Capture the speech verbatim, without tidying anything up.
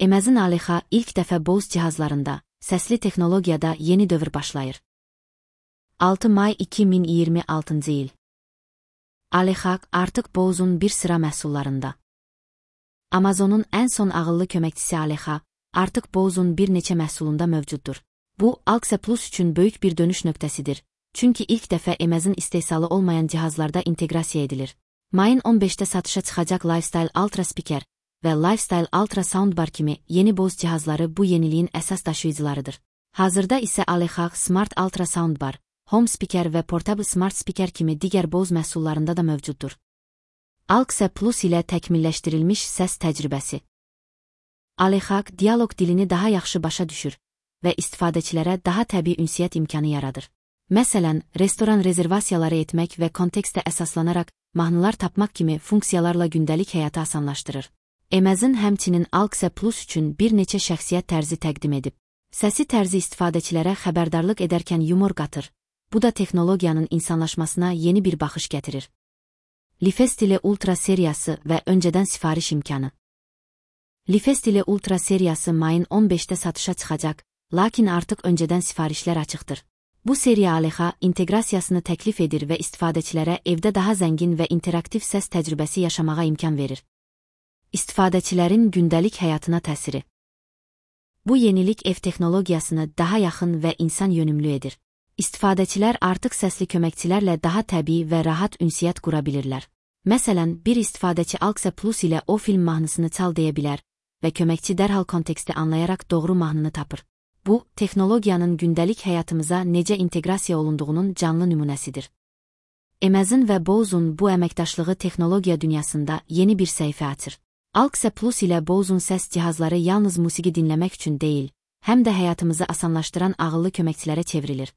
Amazon Alexa ilk dəfə Bose cihazlarında, səsli texnologiyada yeni dövr başlayır. altı may iki min iyirmi altıncı il. Alexa artıq Bose'un bir sıra məhsullarında. Amazonun ən son ağıllı köməkçisi Alexa, artıq Bose'un bir neçə məhsulunda mövcuddur. Bu, Alexa Plus üçün böyük bir dönüş nöqtəsidir. Çünki ilk dəfə Amazon istehsalı olmayan cihazlarda inteqrasiya edilir. Mayın on beşdə satışa çıxacaq Lifestyle Ultra Speaker və Lifestyle Ultra Soundbar kimi yeni Bose cihazları bu yeniliyin əsas daşıyıcılarıdır. Hazırda isə Alexa Smart Ultra Soundbar, Home Speaker və Portable Smart Speaker kimi digər Bose məhsullarında da mövcuddur. Alexa Plus ilə təkmilləşdirilmiş səs təcrübəsi. Alexa dialoq dilini daha yaxşı başa düşür və istifadəçilərə daha təbii ünsiyyət imkanı yaradır. Məsələn, restoran rezervasiyaları etmək və kontekstə əsaslanaraq mahnılar tapmaq kimi funksiyalarla gündəlik həyatı asanlaşdırır. Amazon həmçinin Alexa Plus üçün bir neçə şəxsiyyət tərzi təqdim edib. Səsi tərzi istifadəçilərə xəbərdarlıq edərkən yumor qatır. Bu da texnologiyanın insanlaşmasına yeni bir baxış gətirir. Lifestyle Ultra seriyası və öncədən sifariş imkanı. Lifestyle Ultra seriyası mayın on beşdə satışa çıxacaq, lakin artıq öncədən sifarişlər açıqdır. Bu seriya Alexa inteqrasiyasını təklif edir və istifadəçilərə evdə daha zəngin və interaktiv səs təcrübəsi yaşamağa imkan verir. İstifadəçilərin gündəlik həyatına təsiri. Bu yenilik ev texnologiyasını daha yaxın və insan yönümlü edir. İstifadəçilər artıq səsli köməkçilərlə daha təbii və rahat ünsiyyət qura bilirlər. Məsələn, bir istifadəçi Alexa Plus ilə o film mahnısını çal deyə bilər və köməkçi dərhal konteksti anlayaraq doğru mahnını tapır. Bu, texnologiyanın gündəlik həyatımıza necə inteqrasiya olunduğunun canlı nümunəsidir. Amazon və Bose'un bu əməkdaşlığı texnologiya dünyasında yeni bir səhifə açır. Alexa Plus ilə Bose'un səs cihazları yalnız musiqi dinləmək üçün deyil, həm də həyatımızı asanlaşdıran ağıllı köməkçilərə çevrilir.